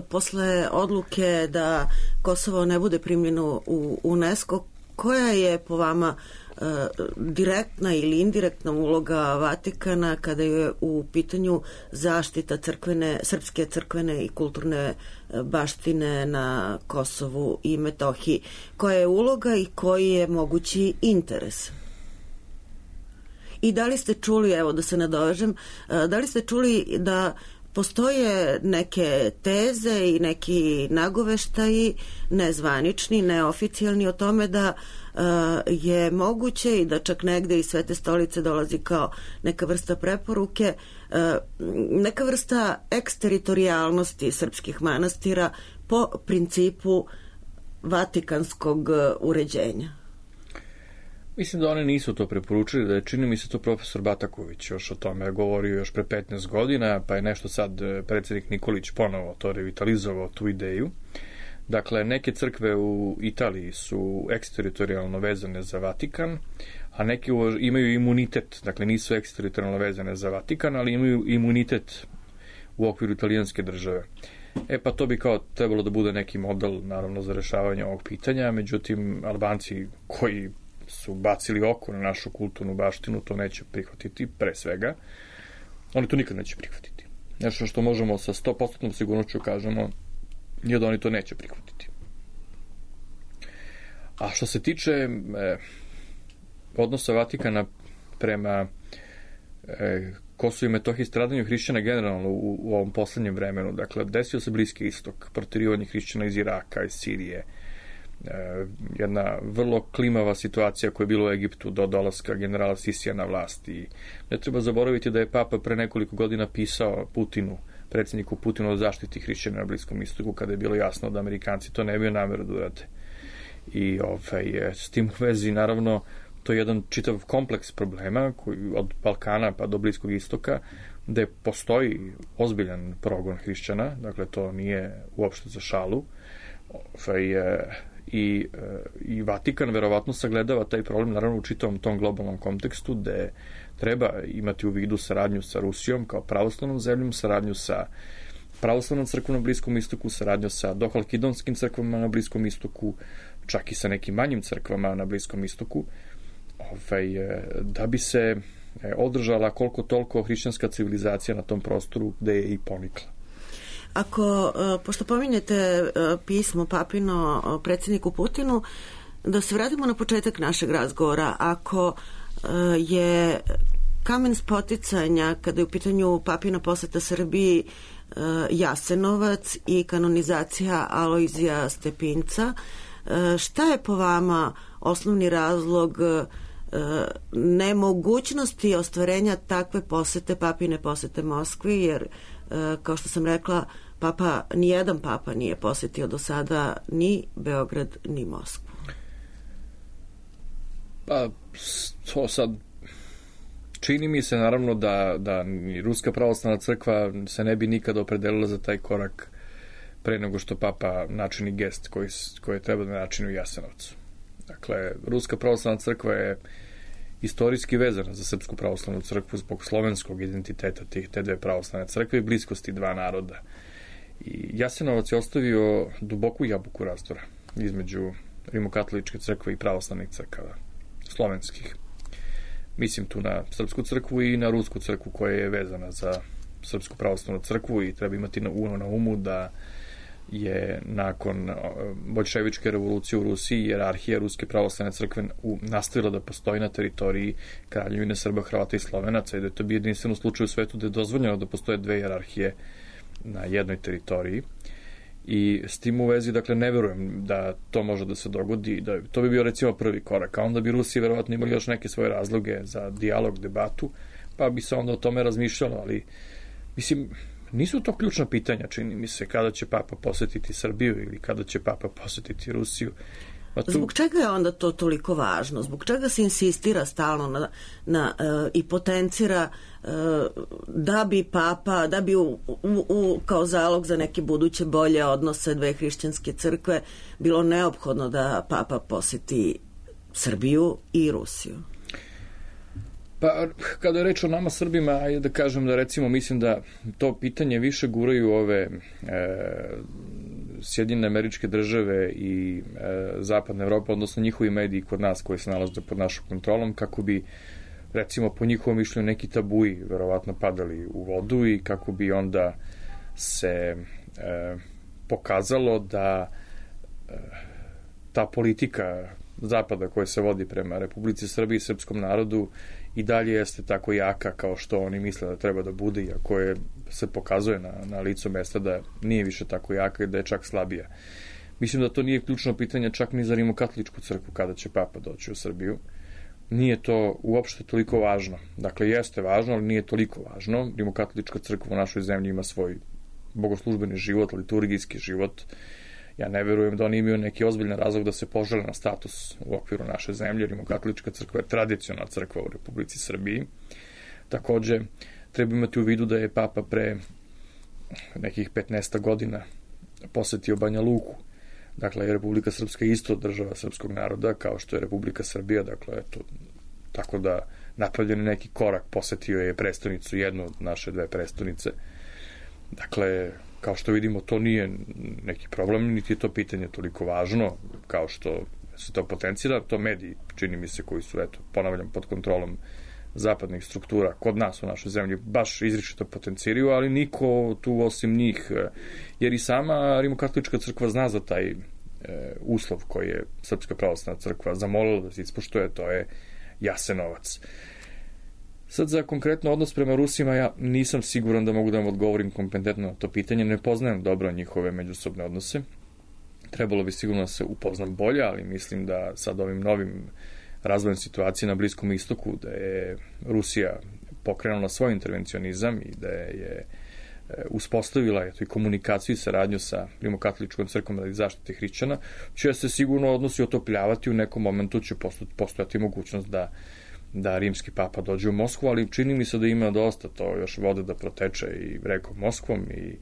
posle odluke da Kosovo ne bude primljeno u UNESCO, koja je po vama e, direktna ili indirektna uloga Vatikana kada je u pitanju zaštita crkvene, srpske crkvene i kulturne baštine na Kosovu i Metohiji? Koja je uloga i koji je mogući interes? I da li ste čuli, evo da se nadovežem, da li ste čuli da postoje neke teze i neki nagoveštaji, nezvanični, neoficijalni, o tome da uh, je moguće i da čak negde iz Svete stolice dolazi kao neka vrsta preporuke, uh, neka vrsta eksteritorijalnosti srpskih manastira po principu vatikanskog uređenja? Mislim da oni nisu to preporučili, da je čini mi se to profesor Bataković još o tome govorio još pre petnaest godina, pa je nešto sad predsjednik Nikolić ponovo to revitalizovao, tu ideju. Dakle, neke crkve u Italiji su eksteritorijalno vezane za Vatikan, a neke imaju imunitet, dakle nisu eksteritorijalno vezane za Vatikan, ali imaju imunitet u okviru italijanske države. E pa to bi kao trebalo da bude neki model, naravno, za rešavanje ovog pitanja, međutim, Albanci koji su bacili oko na našu kulturnu baštinu, to neće prihvatiti, pre svega. Oni to nikad neće prihvatiti. Nešto što možemo sa sto posto sigurnošću kažemo je da oni to neće prihvatiti. A što se tiče e, odnosa Vatikana prema e, Kosovu i Metohiji, stradanju hrišćana generalno u, u ovom poslednjem vremenu, dakle, desio se Bliski istok, proterivanje hrišćana iz Iraka, iz Sirije, jedna vrlo klimava situacija koja je bila u Egiptu do dolaska generala Sisija na vlast. I ne treba zaboraviti da je Papa pre nekoliko godina pisao Putinu, predsjedniku Putinu, o zaštiti hrišćana na Bliskom istoku, kada je bilo jasno da Amerikanci to ne bi nameru da urade. I ovaj, s tim u vezi, naravno, to je jedan čitav kompleks problema koji od Balkana pa do Bliskog istoka, gde postoji ozbiljan progon hrišćana, dakle to nije uopšte za šalu. Ovaj, i, i Vatikan verovatno sagledava taj problem naravno u čitavom tom globalnom kontekstu, gde treba imati u vidu saradnju sa Rusijom kao pravoslavnom zemljom, saradnju sa pravoslavnom crkvom na Bliskom istoku, saradnju sa dohalkidonskim crkvama na Bliskom istoku, čak i sa nekim manjim crkvama na Bliskom istoku, ovaj, da bi se održala koliko toliko hrišćanska civilizacija na tom prostoru gde je i ponikla. Ako, pošto pominjete pismo papino predsjedniku Putinu, da se vratimo na početak našeg razgovora. Ako je kamen spoticanja kada je u pitanju papina poseta Srbiji Jasenovac i kanonizacija Alojzija Stepinca, šta je po vama osnovni razlog nemogućnosti ostvarenja takve posete, papine posete Moskvi, jer kao što sam rekla, papa, nijedan papa nije posetio do sada ni Beograd, ni Moskvu. Pa, to sad čini mi se naravno da, da ni Ruska pravoslavna crkva se ne bi nikada opredelila za taj korak pre nego što papa načini gest koji, koji treba da načini u Jasenovcu. Dakle, Ruska pravoslavna crkva je istorijski vezana za Srpsku pravoslavnu crkvu zbog slovenskog identiteta tih te dve pravoslavne crkve i bliskosti dva naroda. I Jasenovac je ostavio duboku jabuku razdora između rimokatoličke crkve i pravoslavnih crkava, slovenskih. Mislim tu na Srpsku crkvu i na Rusku crkvu koja je vezana za Srpsku pravoslavnu crkvu i treba imati na, na umu da je nakon boljševičke revolucije u Rusiji jerarhija Ruske pravoslavne crkve nastavila da postoji na teritoriji Kraljevine Srba, Hrvata i Slovenaca i da je to bio jedinstven slučaj u svetu da je dozvoljeno da postoje dve jerarhije na jednoj teritoriji. I s tim u vezi, dakle, ne verujem da to može da se dogodi, da to bi bio recimo prvi korak, a onda bi Rusiji verovatno imali još neke svoje razloge za dijalog, debatu, pa bi se onda o tome razmišljalo, ali mislim, nisu to ključna pitanja, čini mi se, kada će papa posetiti Srbiju ili kada će papa posetiti Rusiju. Pa tu... Zbog čega je onda to toliko važno? Zbog čega se insistira stalno na, na, uh, i potencira uh, da bi papa, da bi u, u, u, kao zalog za neke buduće bolje odnose dve hrišćanske crkve bilo neophodno da papa poseti Srbiju i Rusiju? Pa, kada je reč o nama Srbima, ajde da kažem da recimo mislim da to pitanje više guraju ove e, Sjedinjene Američke Države i e, Zapadna Evropa, odnosno njihovi mediji kod nas koji se nalaze pod našom kontrolom, kako bi recimo po njihovom mišljenju neki tabuji verovatno padali u vodu i kako bi onda se e, pokazalo da e, ta politika Zapada koja se vodi prema Republici Srbiji i srpskom narodu i dalje jeste tako jaka kao što oni misle da treba da bude, iako je, se pokazuje na, na licu mesta da nije više tako jaka i da je čak slabija. Mislim da to nije ključno pitanje čak ni za rimokatoličku crkvu kada će papa doći u Srbiju. Nije to uopšte toliko važno. Dakle, jeste važno, ali nije toliko važno. Rimokatolička crkva u našoj zemlji ima svoj bogoslužbeni život, liturgijski život. Ja ne verujem da oni imaju neki ozbiljan razlog da se požele na status u okviru naše zemlje. Rimokatolička crkva je tradicionalna crkva u Republici Srbiji. Takođe, treba imati u vidu da je papa pre nekih petnaest godina posetio Banja Luku. Dakle, je Republika Srpska isto država srpskog naroda, kao što je Republika Srbija. Dakle, eto, tako da napravljen neki korak, posetio je prestonicu, jednu od naše dve prestonice. Dakle, kao što vidimo, to nije neki problem, niti je to pitanje toliko važno kao što se to potencira. To mediji, čini mi se, koji su, eto, ponavljam, pod kontrolom zapadnih struktura kod nas u našoj zemlji, baš izričito potenciraju, ali niko tu osim njih, jer i sama Rimokatolička crkva zna za taj e, uslov koji je Srpska pravoslavna crkva zamolila da se ispoštuje, to je Jasenovac. Sad za konkretno odnos prema Rusima ja nisam siguran da mogu da vam odgovorim kompetentno na to pitanje, ne poznajem dobro njihove međusobne odnose. Trebalo bi sigurno da se upoznam bolje, ali mislim da sad ovim novim razvojem situacije na Bliskom istoku, da je Rusija pokrenula svoj intervencionizam i da je uspostavila eto, i komunikaciju i saradnju sa Rimokatoličkom crkvom radi zaštite hrišćana, će se sigurno odnosi otopljavati, u nekom momentu će postojati mogućnost da, da rimski papa dođe u Moskvu, ali čini mi se da ima dosta to još vode da proteče i rekom Moskvom i,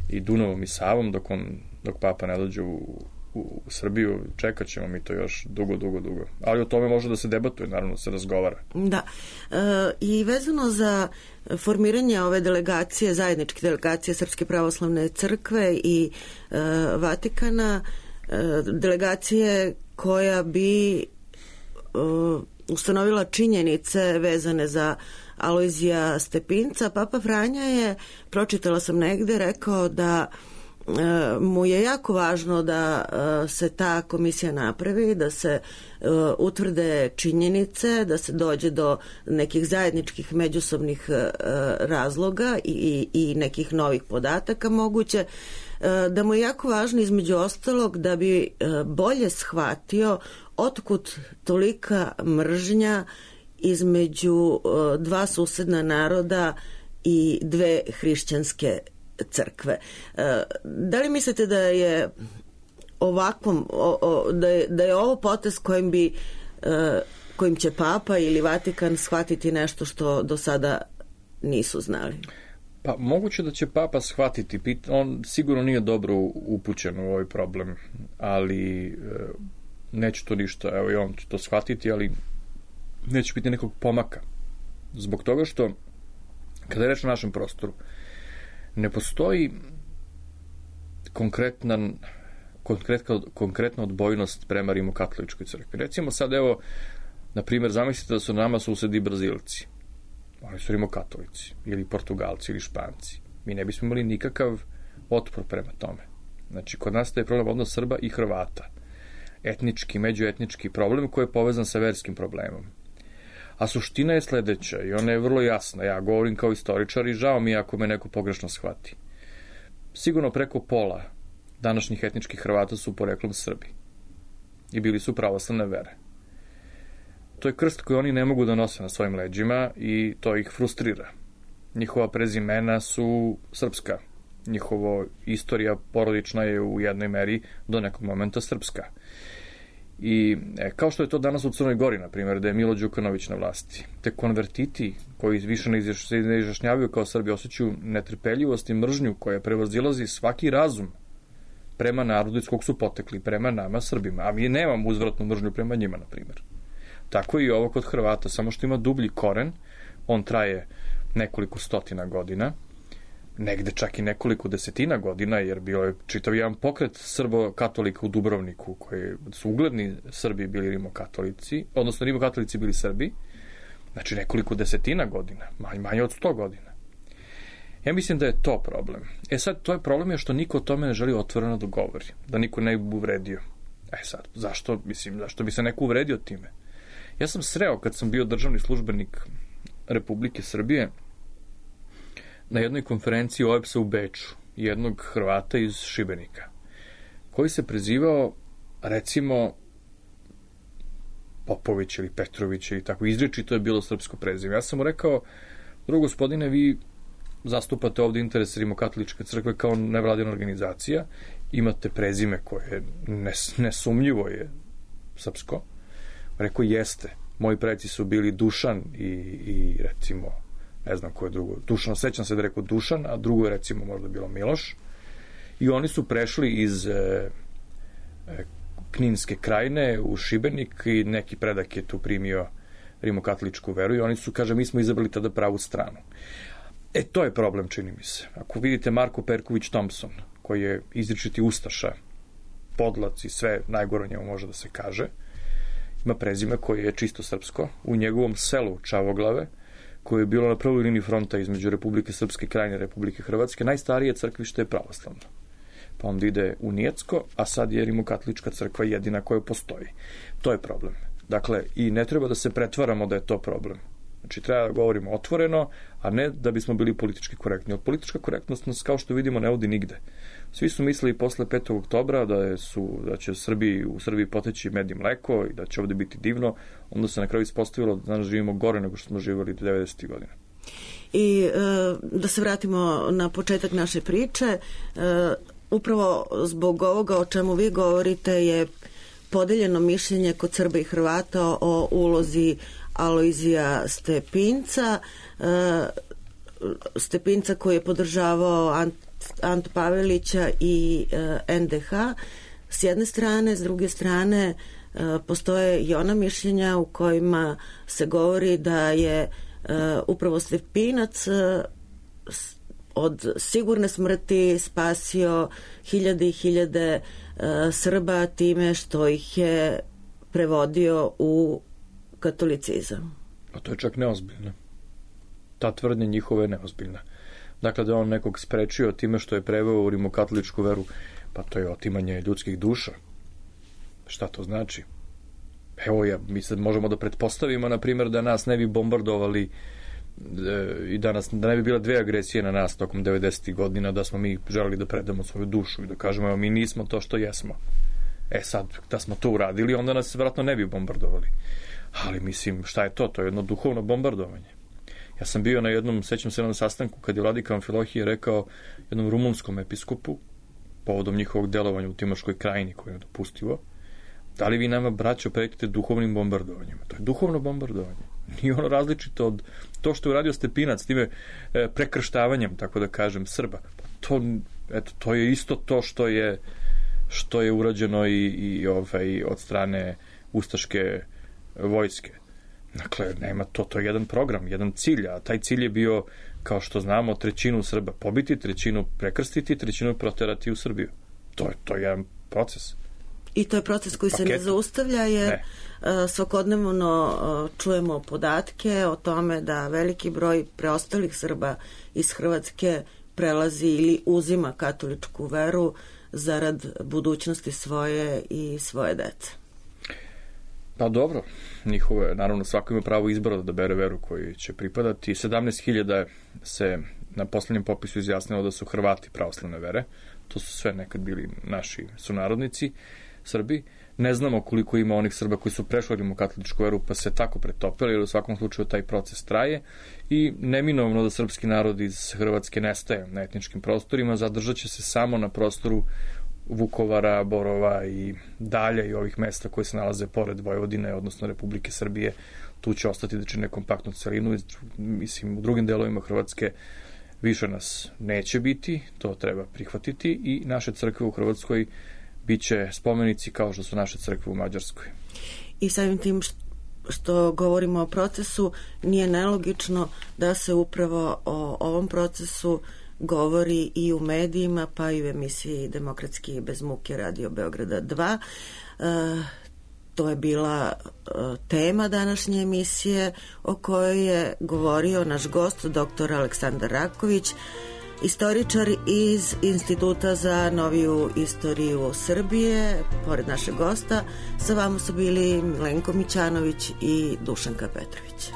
i Dunavom i Savom dok, on, dok papa ne dođe u, u Srbiju, čekat ćemo mi to još dugo, dugo, dugo. Ali o tome može da se debatuje, naravno se razgovara. Da. E, I vezano za formiranje ove delegacije, zajedničke delegacije Srpske pravoslavne crkve i e, Vatikana, e, delegacije koja bi e, ustanovila činjenice vezane za Alojzija Stepinca, Papa Franja je, pročitala sam negde, rekao da mu je jako važno da se ta komisija napravi, da se utvrde činjenice, da se dođe do nekih zajedničkih međusobnih razloga i, i nekih novih podataka moguće, da mu je jako važno između ostalog da bi bolje shvatio otkud tolika mržnja između dva susedna naroda i dve hrišćanske crkve. Da li mislite da je ovakvom, o, o, da, je, da je ovo potez kojim bi kojim će Papa ili Vatikan shvatiti nešto što do sada nisu znali? Pa moguće da će Papa shvatiti, on sigurno nije dobro upućen u ovaj problem, ali neće to ništa, evo i on će to shvatiti, ali neće biti nekog pomaka. Zbog toga što, kada je reč o našem prostoru, ne postoji konkretna, konkretna, konkretna odbojnost prema Rimokatoličkoj crkvi. Recimo sad, evo, na primjer, zamislite da su nama susedi Brazilci. Oni su rimokatolici, ili Portugalci, ili Španci. Mi ne bismo imali nikakav otpor prema tome. Znači, kod nas je problem odnos Srba i Hrvata. Etnički, međuetnički problem koji je povezan sa verskim problemom. A suština je sledeća i ona je vrlo jasna. Ja govorim kao istoričar i žao mi ako me neko pogrešno shvati. Sigurno preko pola današnjih etničkih Hrvata su poreklom Srbi. I bili su pravoslavne vere. To je krst koji oni ne mogu da nose na svojim leđima i to ih frustrira. Njihova prezimena su srpska. Njihova istorija porodična je u jednoj meri do nekog momenta srpska. I e, kao što je to danas u Crnoj Gori, na primjer, da je Milo Đukanović na vlasti. Te konvertiti koji više ne izjašnjavaju kao Srbi osjećaju netrpeljivost i mržnju koja prevazilazi svaki razum prema narodu iz kog su potekli, prema nama Srbima. A mi nemamo uzvratnu mržnju prema njima, na primjer. Tako i ovo kod Hrvata, samo što ima dublji koren, on traje nekoliko stotina godina, negde čak i nekoliko desetina godina, jer bio je čitav jedan pokret Srbo-katolika u Dubrovniku, koji su ugledni Srbi bili rimokatolici, odnosno rimokatolici bili Srbi, znači nekoliko desetina godina, manje od sto godina. Ja mislim da je to problem. E sad, to je problem je što niko o tome ne želi otvoreno da govori, da niko ne bi uvredio. E sad, zašto, mislim, zašto bi se neko uvredio time? Ja sam sreo kad sam bio državni službenik Republike Srbije na jednoj konferenciji O E B S-a u Beču, jednog Hrvata iz Šibenika, koji se prezivao, recimo, Popović ili Petrović ili tako, izričito je bilo srpsko prezime. Ja sam mu rekao, drugo gospodine, vi zastupate ovde interes Rimokatoličke crkve kao nevladina organizacija, imate prezime koje nes, nesumnjivo je srpsko. Rekao, jeste, moji preci su bili Dušan i, i recimo, ne znam ko je drugo, Dušan, sećam se da je rekao Dušan, a drugo je recimo možda bilo Miloš. I oni su prešli iz e, e, Kninske krajine u Šibenik i neki predak je tu primio rimokatoličku veru i oni su, kaže, mi smo izabrali tada pravu stranu. E, to je problem, čini mi se. Ako vidite Marko Perković Thompson, koji je izričiti ustaša, podlac i sve najgore o njemu može da se kaže, ima prezime koje je čisto srpsko, u njegovom selu Čavoglave, koje je bilo na prvoj liniji fronta između Republike Srpske krajine i Republike Hrvatske, najstarije crkvište je pravoslavno. Pa onda ide u Nijecko, a sad je Rimokatolička crkva jedina koja postoji. To je problem. Dakle, i ne treba da se pretvaramo da je to problem. Znači, treba da govorimo otvoreno, a ne da bismo bili politički korektni. Od politička korektnost nas, kao što vidimo, ne vodi nigde. Svi su mislili posle petog oktobra da, je su, da će Srbiji, u Srbiji poteći med i mleko i da će ovde biti divno. Onda se na kraju ispostavilo da danas živimo gore nego što smo živjeli devedesetih godina. I e, da se vratimo na početak naše priče, e, upravo zbog ovoga o čemu vi govorite je podeljeno mišljenje kod Srba i Hrvata o ulozi Alojzija Stepinca, e, Stepinca koji je podržavao Ant, Antu Pavelića i e, en de ha s jedne strane, s druge strane e, postoje i ona mišljenja u kojima se govori da je Uh, upravo Stepinac uh, od sigurne smrti spasio hiljade i hiljade uh, Srba time što ih je prevodio u katolicizam. A to je čak neozbiljno. Ta tvrdnja njihova je neozbiljna. Dakle, da je on nekog sprečio time što je preveo u rimokatoličku veru, pa to je otimanje ljudskih duša. Šta to znači? Evo, ja, mi sad možemo da pretpostavimo, na primjer, da nas ne bi bombardovali e, i da, nas, da ne bi bila dve agresije na nas tokom devedesetih godina, da smo mi želeli da predamo svoju dušu i da kažemo, evo, mi nismo to što jesmo. E sad, da smo to uradili, onda nas vjerojatno ne bi bombardovali. Ali, mislim, šta je to? To je jedno duhovno bombardovanje. Ja sam bio na jednom, sećam se na sastanku, kad je vladika Amfilohije rekao jednom rumunskom episkopu, povodom njihovog delovanja u Timoškoj krajini, koje je dopustivo, da li vi nama, braćo, pretite duhovnim bombardovanjima? To je duhovno bombardovanje. Nije ono različito od to što je uradio Stepinac, time e, prekrštavanjem, tako da kažem, Srba. To, eto, to je isto to što je, što je urađeno i, i ovaj, od strane ustaške vojske. Dakle, nema to, to je jedan program, jedan cilj, a taj cilj je bio, kao što znamo, trećinu Srba pobiti, trećinu prekrstiti, trećinu proterati u Srbiju. To je, to je jedan proces. I to je proces koji Paket. se ne zaustavlja, jer ne. svakodnevno čujemo podatke o tome da veliki broj preostalih Srba iz Hrvatske prelazi ili uzima katoličku veru zarad budućnosti svoje i svoje dece. Pa dobro, njihovo je, naravno, svako ima pravo izbora da bere veru koju će pripadati. sedamnaest hiljada se na poslednjem popisu izjasnilo da su Hrvati pravoslavne vere. To su sve nekad bili naši sunarodnici, Srbi. Ne znamo koliko ima onih Srba koji su prešli rimokatoličku veru pa se tako pretopili, jer u svakom slučaju taj proces traje i neminovno da srpski narod iz Hrvatske nestaje na etničkim prostorima, zadržat će se samo na prostoru Vukovara, Borova i dalje i ovih mesta koje se nalaze pored Vojvodine, odnosno Republike Srbije. Tu će ostati da čine kompaktnu celinu. Mislim, u drugim delovima Hrvatske više nas neće biti, to treba prihvatiti i naše crkve u Hrvatskoj biće spomenici kao što su naše crkve u Mađarskoj. I samim tim što govorimo o procesu, nije nelogično da se upravo o ovom procesu govori i u medijima, pa i u emisiji Demokratski bez muke Radio Beograda dva. E, to je bila e, tema današnje emisije o kojoj je govorio naš gost, doktor Aleksandar Raković, istoričar iz Instituta za noviju istoriju Srbije. Pored našeg gosta, sa vama su bili Milenko Mićanović i Dušanka Petrović.